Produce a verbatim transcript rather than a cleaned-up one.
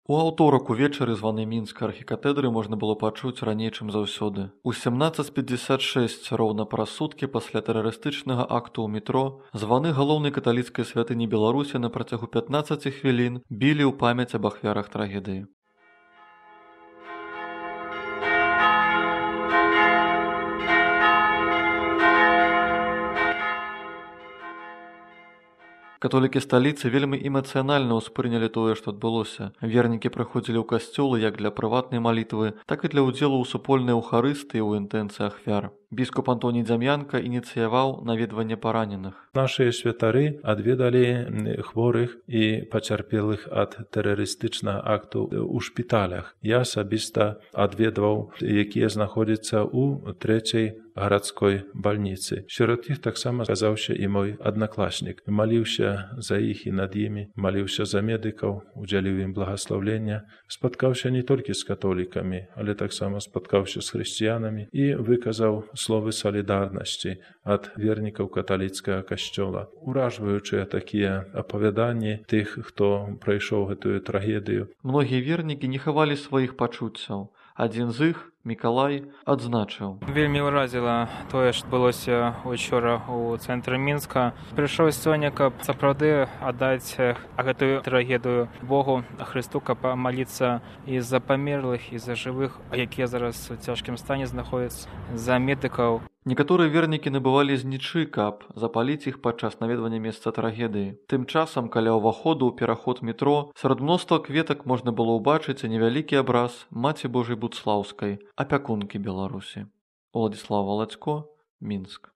У аўторак увечары званы мінскай архікатэдры можна было пачуць раней, чым заўсёды. У сямнаццаць пятьдесят шесть роўна праз суткі пасля тэрарыстычнага акту ў метро званы галоўнай каталіцкай святыні Беларусі на працягу пятнаццаці хвілін білі ў памяць аб ахвярах трагедыі. Католікі сталіцы вельмі эмацыянальна ўспрынялі тое, што адбылося. Вернікі прыходзілі ў касцёлы як для прыватнай малітвы, так і для ўдзелу ў супольнай эўхарыстыі ў інтэнцыі ахвяр. Біскуп Антоній Дзям'янка ініцыяваў наведванне параненых. Нашыя святары адведалі хворых і пацярпелых ад тэрарыстычнага акту ў шпіталях. Я асабіста адведваў, якія знаходзяцца ў трэцяй гарадской бальніцы. Сярод іх таксама аказаўся і мой аднакласнік. Маліўся за іх і над імі, маліўся за медыкаў, удзяліў ім благаслаўлення, спаткаўся не толькі з католікамі, але таксама спаткаўся з хрысціянамі і выказаў словы салідарнасці ад вернікаў каталіцкага касцёла. Уражваючыя такія апавяданні тых, хто прайшоў гэтую трагедыю. Многія вернікі не хавалі сваіх пачуццяў. Адзін з іх, Мікалай, адзначыў. Вельмі ўразіла тое, што адбылося учора ў цэнтры Мінска. Прыйшоў сёння, каб сапраўды аддаць гэтую трагедыю Богу, Хрысту, каб памаліцца і за памерлых, і за жывых, якія зараз у цяжкім стане знаходзяцца, за медыкаў. Некаторыя вернікі набывалі знічы, каб запаліць іх падчас наведвання месца трагедыі. Тым часам, каля ўваходу ў пераход метро, сярод мноства кветак можна было ўбачыць невялікі абраз Маці Божай Будслаўскай, апякункі Беларусі. Уладзіслаў Валадзько, Мінск.